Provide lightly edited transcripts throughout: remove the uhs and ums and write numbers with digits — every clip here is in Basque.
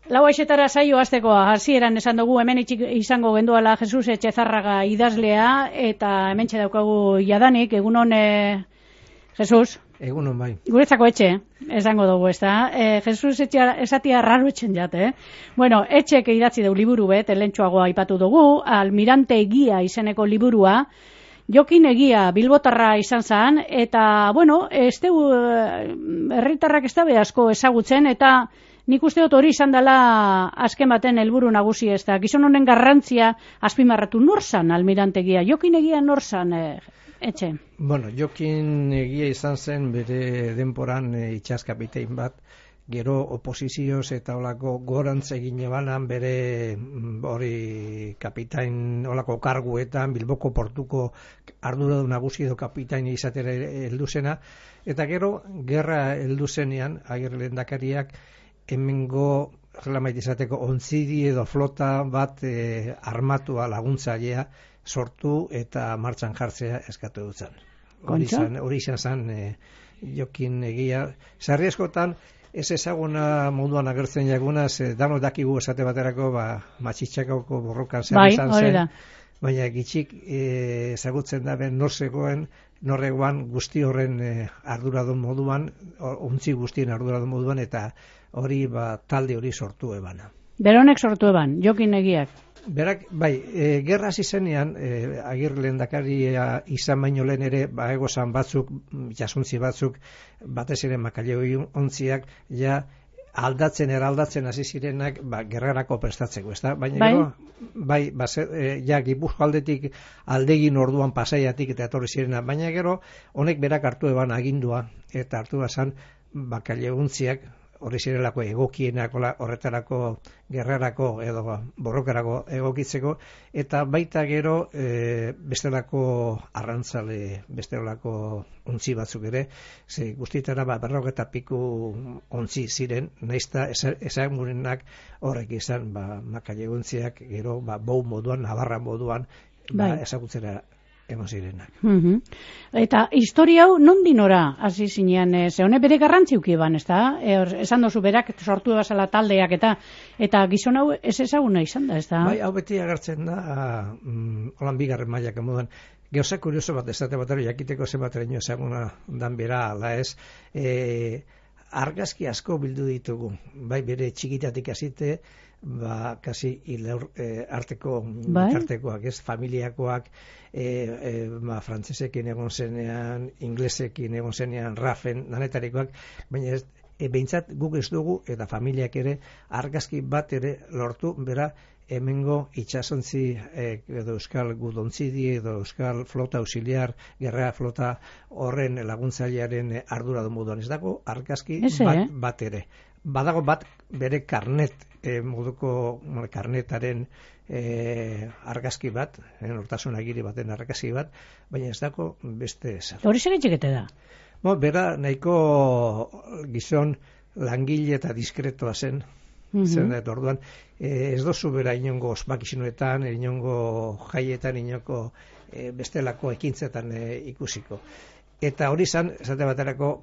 Lau aixetara saio hastekoa, hasieran esan dugu hemen izango genduala Jesus Etxezarraga idazlea, eta hementxe daukagu jadanik, egunon Jesus? Egunon bai. Guretzako etxe, esango dugu, ez da? Jesus esatia raro etxen jate, Bueno, etxek idatzi du liburu bet, lehentxoagoa aipatu dugu, Almirante Egia izeneko liburua, Jokin Egia bilbotarra izan zen, eta, bueno, herritarrak ez da asko ezagutzen, eta nik uste dut hori izan dela azken baten helburu nagusi, ez da. Gizon honen garrantzia azpimarratu nor zan Almirante Egia, Jokin Egia nor zan etxe? Bueno, Jokin Egia izan zen bere denporan itxaskapitain bat, gero oposizioz eta olako gorantz egin ebanan bere hori kapitain olako karguetan, Bilboko portuko arduradun nagusi edo kapitain izatera heldu zena, eta gero gerra heldu zenean Agirre lehendakariak hemengo relamait izateko ontzidi edo flota bat armatua laguntzailea sortu eta martxan jartzea eskatu dutzen. Hori izan zen Jokin Egia. Sarri askotan ez ezaguna moduan agertzen jaguna, danok dakigu esate baterako matxitxakako borrokan zer izan zen, baina gitxik ezagutzen da ben norregoan guzti horren arduradun moduan, untzi guztien arduradun moduan, eta hori talde hori sortu ebana. Beronek sortu eban, Jokin Egiak? Berak, gerra hasi zenean, Agirre lehendakaria izan baino lehen ere, egozan batzuk, jasuntzi batzuk, batez ere Makaleo ontziak, ja aldatzen hasi zirenak, gerrarako prestatzeko, ezta? Baina gero, ja Gipuzko aldetik aldegin orduan Pasaiatik eta etorri zirena, baina gero, honek berak hartu eban agindua, eta hartu bazan Makaleo ontziak, hori zirelako egokienak horretarako gerrarako edo borrokarako egokitzeko, eta baita gero bestelako arrantzale, bestelako ontzi batzuk ere, guztietara 40 piku ontzi ziren, naizta ezagunenak horrek izan Makaleo ontziak gero bou moduan, Navarra moduan ezagutzera eman zirenak. Eta historia hau nondi nora hasi zinean, ze honek bere garrantziuki eban, ez da? Esan dozu berak sortu ebazala taldeak eta gizon hau ez ezaguna izan da, ez da? Bai, hau beti agertzen da, holan bigarren mailak moduan. Gauza kurioso bat esate batera jakiteko zenbateraino ezaguna dan bera, ala ez, argazki asko bildu ditugu, bai bere txikitatik hasite, kasi arteko artekoak, ez, familiakoak, frantsesekin egon zenean, inglesekin egon zenean, Rafen, danetarikoak, baina behintzat guk ez dugu, eta familiak ere, argazki bat ere lortu, bera, hemengo itxasontzi edo euskal gudontzidi edo euskal flota auxiliar, gerra flota horren laguntzailearen arduradun moduan, ez dago argazki bat ere. Badago bat bere karnet, moduko karnetaren argazki bat, nortasun agiri baten argazki bat, baina ez dago beste esan. Hori segetxekete da? Bera nahiko gizon langile eta diskretoa zen, zen da orduan, ez dozu bera inongo ospakizinoetan, inongo jaietan, inongo bestelako ekintzetan ikusiko. Eta hori zan, esate baterako,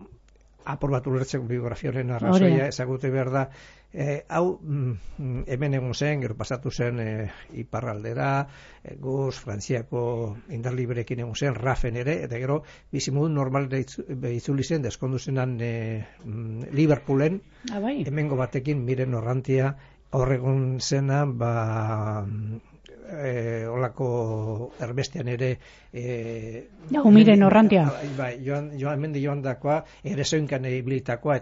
apur bat ulertzeko biografioaren arrazoia ezagute behar da, hau hemen egon zen, gero pasatu zen iparraldera, Guz, Frantziako indar liberekin egon zen, Rafen ere, eta gero bizimodu normal itzuli zen, deskondu zenan Liverpoolen, hemengo batekin Miren Orrantia, horregon zena, olako erbestean ere Miren Orrantia joan dakoa, ere zoinkan ibilitakoa,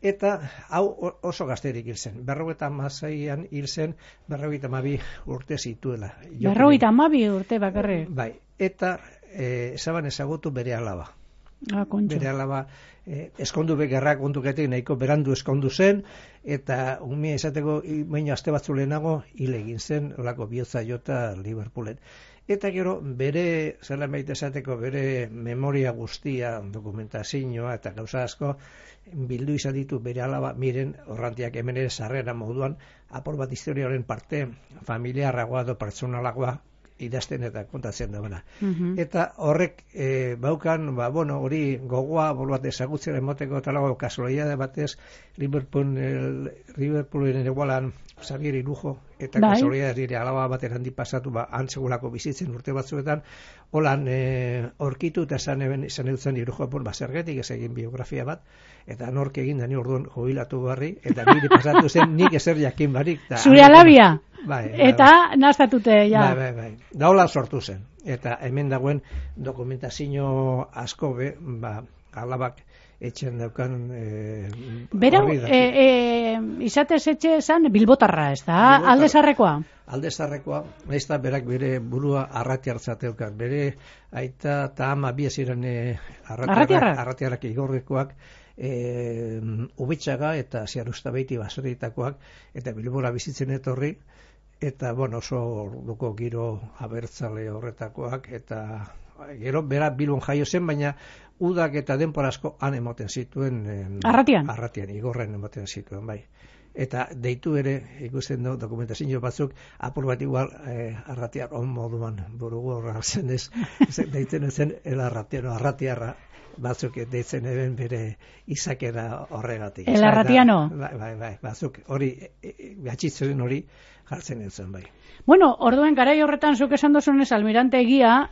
eta hau oso gazterik hil zen. 56an hil zen, 52 urte zituela. 52 urte bakarrik? Bai, eta ezaban ezagutu bere alaba. Bere alaba eskondu gerrak kontuketik nahiko berandu eskondu zen, eta umia esateko baina aste batzu lehenago hil egin zen, olako bihotza jota Liverpoolen. Eta gero bere, zela maite esateko, bere memoria guztia, dokumentazioa eta gauza asko, bildu izan ditu bere alaba Miren Orrantiak hemen ere sarrera moduan, apur bat historiaren parte familiarragoa edo pertsonalagoa idazten eta kontatzen da bana. Eta horrek baukan, hori gogoa bat ezagutzen emoteko talago kasualidade batez Liverpoolen egualan Xavier Irujo eta kasualidade dire alaba baten handi pasatu antzegulako bizitzen urte batzuetan holan aurkitu eta esan eutzen Irujo zergatik ez egin biografia bat eta nork egin da ni orduan jubilatu barri eta nire pasatu zen nik ezer jakin barik. Zure alabia? Eta naztatute, ja. Bai. Da hola sortu zen. Eta hemen dagoen dokumentazio asko alabak etxen daukan berau, izatez etxe esan Bilbotarra, ez da? Aldezarrekoa? Aldezarrekoa, ez da berak bere burua arratiartzateukan. Bere aita eta ama bieziren arratiarrak igorrekoak, Ubitxaga eta Ziarustabeiti baserritakoak eta Bilbora bizitzen etorri eta oso orduko giro abertzale horretakoak eta gero bera Bilbon jaio zen, baina udak eta denpora asko han emoten zituen Arratian, igorren emoten zituen, bai. Eta deitu ere ikusten du dokumentazio batzuk apur bat igual arratiar on moduan burugu horratzen ez deitzen zen el arratiarra batzuk deitzen eben bere izakera horregatik. El arratiano? Bai, batzuk hori gatxitzen hori jartzen zen, bai. Bueno, orduen garai horretan zuk esan dozunez Almirante Egia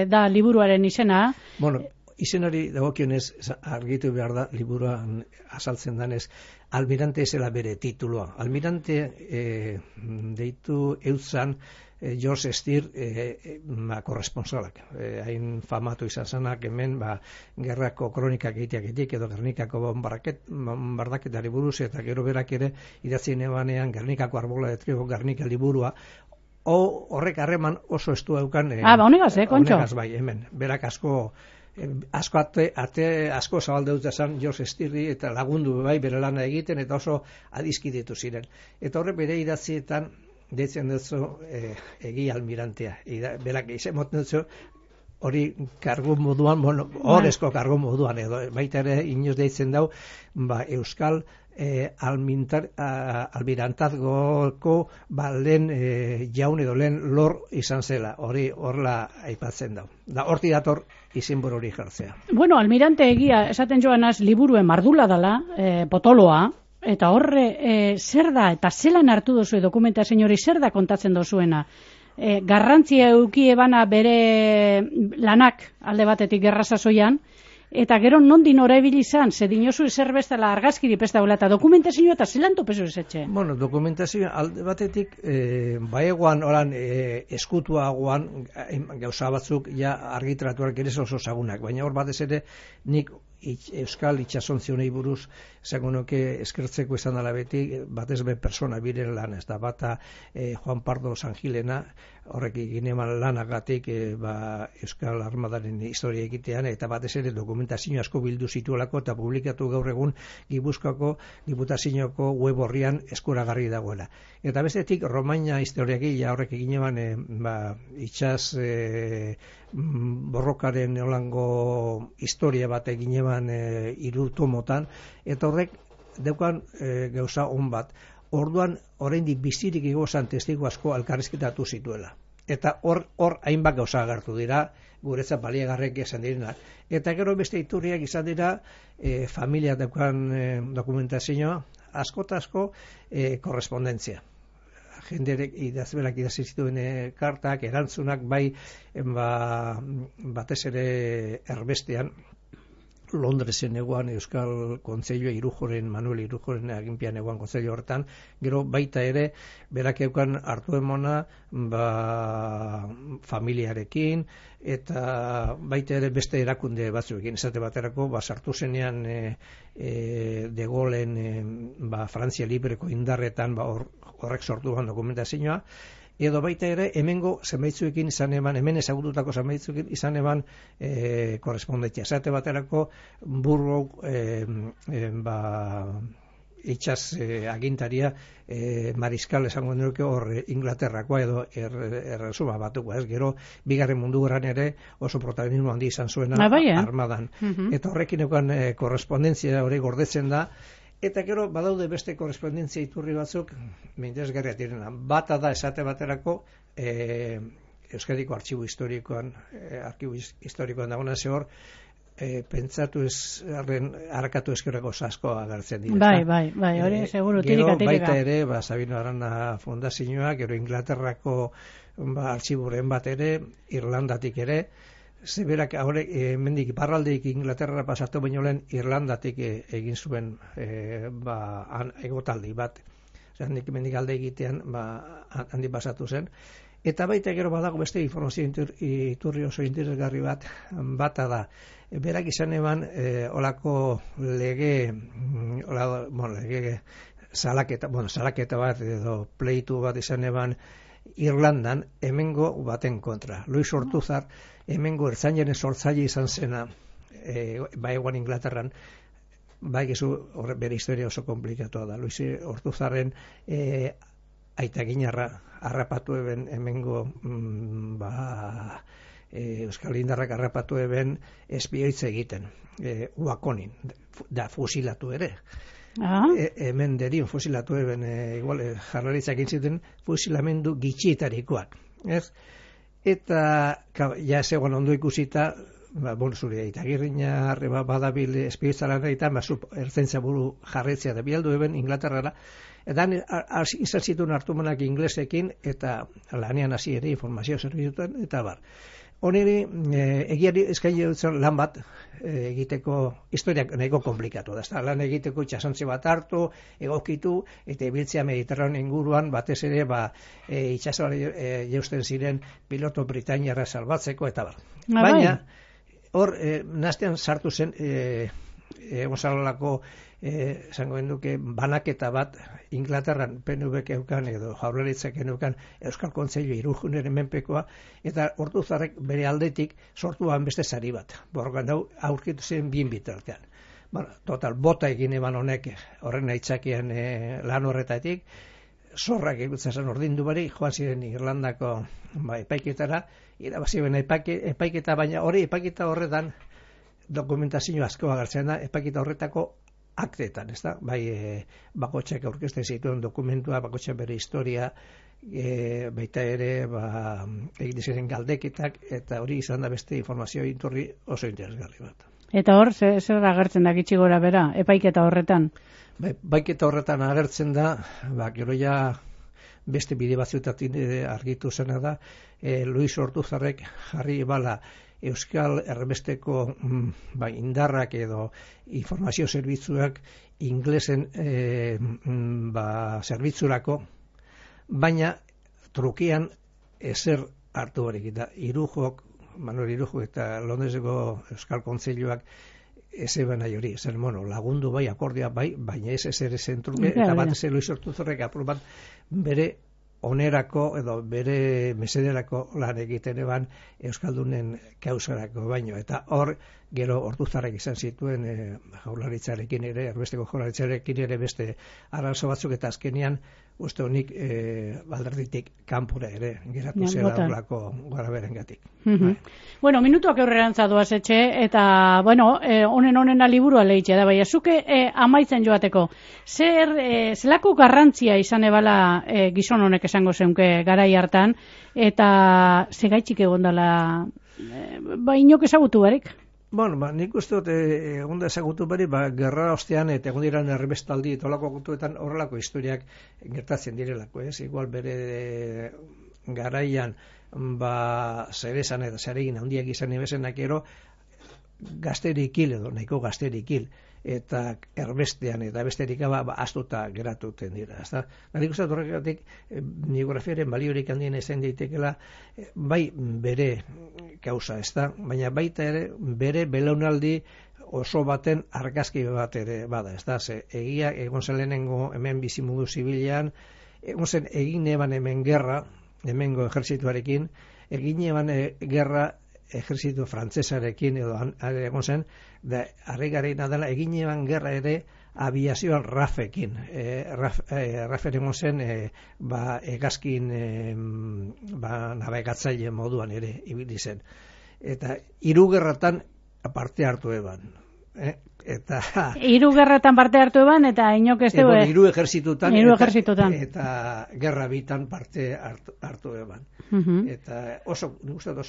da liburuaren izena. Bueno, izenari dagokionez argitu behar da liburuan azaltzen danez Almirante zela bere tituloa. Almirante deitu eutzan George Steer korresponsalak. Hain famatu izan zanak hemen gerrako kronikak egiteaketik edo Gernikako bombardaketari buruz eta gero berak ere idatzien ebanean Gernikako arbola de trigo Gernika liburua horrek harreman oso estu daukan honegaz, kontxo? Honegaz, bai, hemen. Berak asko asko zabalde dut esan George Steerri eta lagundu bai bere lana egiten eta oso adizkidetu ziren. Eta horre bere idatzietan deitzen dutzu Egia Almirantea. Berak izan moten dutzu hori kargu moduan, horrezko kargu moduan edo baita ere inoz deitzen dau Euskal almirantazgoko lehen jaun edo lehen lor izan zela, hori horla aipatzen dau. Da horti dator izenburu hori jartzea. Bueno, Almirante Egia esaten joanaz liburuen mardula dela, potoloa, eta horre zer da, eta zelan hartu dozu dokumentazio hori zer da kontatzen dozuena? Garrantzia eukie bana bere lanak alde batetik gerra sasoian, eta gero nondin oraibili izan, ze dinozu ezer bestela argazkiri pestaula eta dokumentazioa eta zelan topezu ezetxe? Bueno, dokumentazioa alde batetik baegoan oran eskutuagoan gauza batzuk ja argitaratuak ere oso zagunak, baina hor batez ere nik Euskal itxasontziunei buruz esango nuke eskertzeko izan dela beti batez be persona biren lan, ez da bata Juan Pardo Sangilena horrek gineman lanagatik Euskal Armadaren historia egitean eta batez ere dokumentazio asko bildu zituelako eta publikatu gaur egun Gipuzkoako Diputazioko web horrian eskuragarri dagoela. Eta bestetik Romaina historiagilea horrek gineman itxas borrokaren holango historia bat egin eban 3 tomotan, eta horrek daukan gauza on bat. Orduan, oraindik bizirik igozan testigo asko elkarrizketatu zituela. Eta hor hainbat gauza agertu dira, guretzat baliagarrek izan direnak. Eta gero beste iturriak izan dira, familia daukan dokumentazioa, asko eta asko korrespondentzia. Jenderek idazberak idazi zituen kartak, erantzunak bai batez ere erbestean Londresen eguan Euskal Kontseilua Manuel Irujoren aginpian eguan kontseilu horretan, gero baita ere berak eukan hartu emona familiarekin eta baita ere beste erakunde batzuekin, esate baterako sartu zenean De Gaullen Frantzia Libreko indarretan horrek sortu ban dokumentazioa, edo baita ere hemengo zenbaitzuekin izan eban, hemen ezagututako zenbaitzuekin izan eban korrespondentzia. Esate baterako Burrow itxas agintaria mariskal esango nuke hor Inglaterrakoa edo erresuma batuko, ez gero Bigarren Mundu Gerran ere oso protagonismo handi izan zuena armadan. Eta horrekin eukan korrespondentzia hori gordetzen da. Eta gero badaude beste korrespondentzia iturri batzuk interesgarriak direna. Bata da esate baterako Euskadiko artxibo historikoan dagoena ze hor, pentsatu ez harakatu eskerreko asko agertzen dira. Bai, hori seguru tirika. Gero baita ere, Sabino Arana Fundazioa, gero Inglaterrako artxiburen bat ere, Irlandatik ere, zeberak mendik iparraldeik Inglaterra pasatu baino lehen Irlandatik egin zuen egotaldi bat. Nik mendik alde egitean handi pasatu zen. Eta baita gero badago beste informazio iturri oso interesgarri bata da. Berak izan eban olako lege salaketa bat edo pleitu bat izan eban Irlandan hemengo baten kontra. Luis Ortuzar hemengo ertzainaren sortzaile izan zena eguan Inglaterran, bere historia oso komplikatua da. Luis Ortuzarren aita ginarra harrapatu eben hemengo Euskal Indarrak harrapatu eben espioitza egiten Uakonin, da fusilatu ere. Hemen derien fusilatu eben igual jarlaritzak intziten fusilamendu gitxietarikoak. Eta ja zegoen ondo ikusita, zure Itagirriña badabil espioitzaran eta ertzaintza buru jarretzea da bialdu eben Inglaterrara. Eta izan zituen hartumanak inglesekin eta lanean hasi ere informazio zerbitzuetan eta bar. Honeri egiari eskaini dutzen lan bat egiteko historiak nahiko komplikatu da. Lan egiteko itsasontzi bat hartu, egokitu eta ibiltzea Mediterraneo inguruan batez ere itsasoan jeusten ziren piloto britainiarra salbatzeko eta bar. Baina hor nastean sartu zen egonzalolako esango genduke banaketa bat Inglaterran PNVk eukan edo Jaurlaritzak eukan Euskal Kontseilu Irujuneren menpekoa eta Ortuzarrek bere aldetik sortuan beste sari bat. Borgan aurkitu zen bien bitartean. Total, bota egin eban honek horren aitzakian lan horretatik, zorrak egutzen zen ordindu bari, joan ziren Irlandako epaiketara, irabazi ben epaiketa, baina hori epaiketa horretan dokumentazio asko agertzen da, epaiketa horretako aktetan, ez da? Bakotxak aurkezten zituen dokumentua, bakotxak bere historia, baita ere egin ziren galdeketak, eta hori izan da beste informazio iturri oso interesgarri bat. Eta hor, zer agertzen da gitxi gora bera, epaiketa horretan? Epaiketa horretan agertzen da, gero ja beste bide batzuetatik argitu zena da, Luis Ortuzarrek jarri bala Euskal Erbesteko indarrak edo informazio zerbitzuak inglesen zerbitzurako, baina trukean ezer hartu barik. Manuel Irujok eta Londreseko Euskal Kontseiluak eze nahi hori, lagundu akordia baina ez ezer ezen truke, eta bat ezer Luis Ortuzarrek apur bat bere onerako edo bere mesederako lan egiten eban Euskaldunen kausarako baino. Eta hor, gero Ortuzarrek izan zituen Jaurlaritzarekin ere, Erbesteko Jaurlaritzarekin ere beste arazo batzuk eta azkenean uste honik alderditik kanpora ere geratu zela horlako garaberengatik. Bueno, minutuak aurrerantza doaz etxe, eta, honena liburua lehitxe da, baina zuke amaitzen joateko. Zelako garrantzia izan ebala gizon honek esango zeunke garai hartan, eta segaitxik egon dela, inok ezagutu barik? Nik uste dut egon da ezagutu bari, gerra ostean eta egon diran errebestaldi eta olako agutuetan horrelako historiak gertatzen direlako, ez? Igual bere garaian zeresan eta zeregin handiak izan ebezenak ero gazterik hil edo nahiko gazterik hil eta erbestean eta besterik astuta geratuten dira. Nik uste dut horregatik biografiaren baliorik handien ezen daitekela bai bere kausa, baina baita ere bere belaunaldi oso baten argazki bat ere bada, egia egon zen lehenengo hemen bizimudu zibilean, egon zen egin eban hemen gerra, hemengo ejertzituarekin, egin eban gerra ejertzitu frantzesarekin edo egon zen, da harrigarriena dela egin eban gerra ere aviazioan RAF-ekin. RAF-en egon zen hegazkin navegatzaile moduan ere ibili zen. Eta 3 gerratan parte hartu eban. Eta 3 gerratan parte hartu eban, eta inok ez dugu... 3 ejerzitutan, eta gerra bitan parte hartu eban. Eta oso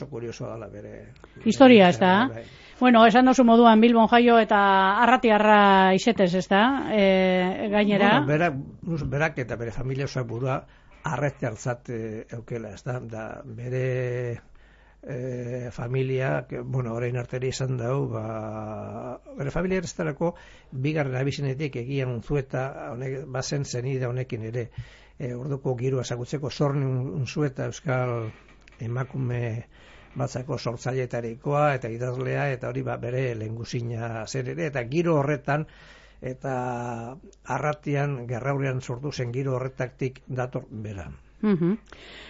kuriosoa dela bere... Historia, ez da? Bueno, esan dozu moduan Bilbon jaio eta arratiarra isetez, ez da? Gainera... Berak eta bere familia osoak burua arretiartzat eukela, ez da? Da bere... familia, orain arteri izan dau, bere familia errestarako bigarren abizenetik egian unzueta, bazen zenide honekin ere, orduko giroa ezagutzeko zorni unzueta euskal emakume batzako sortzailetarikoa eta idazlea, eta hori bere lehengusina zer ere, eta giro horretan, eta arratian, gerraurean sortu zen giro horretatik dator bera.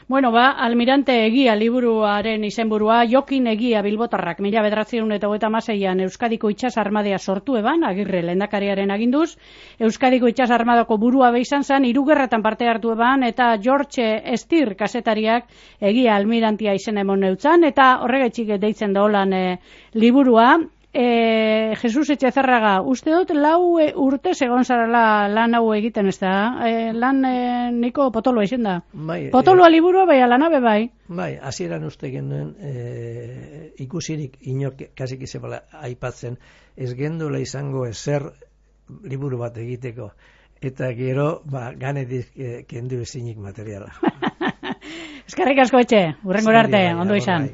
Bueno, Almirante Egia liburuaren izenburua Jokin Egia Bilbotarrak 1936an Euskadiko itsas armadea sortu eban, Agirre lehendakariaren aginduz. Euskadiko itsas armadako burua izan zen, 3 gerratan parte hartu eban, eta George Stier kazetariak Egia Almirantea izen emon neutzan, eta horregaitxik deitzen da holan liburua. Jesus Etxezarraga, uste dut 4 urte egon zarela lan hau egiten, ez da? Lan niko potoloa izen da. Potoloa liburua bai, alanabe bai. Bai, hasieran uste genuen ikusirik inok kasik izabala aipatzen, ez gendula izango ezer liburu bat egiteko. Eta gero, ganetik kendu ezinik materiala. Eskerrik asko etxe, hurrengora arte, ondo izan.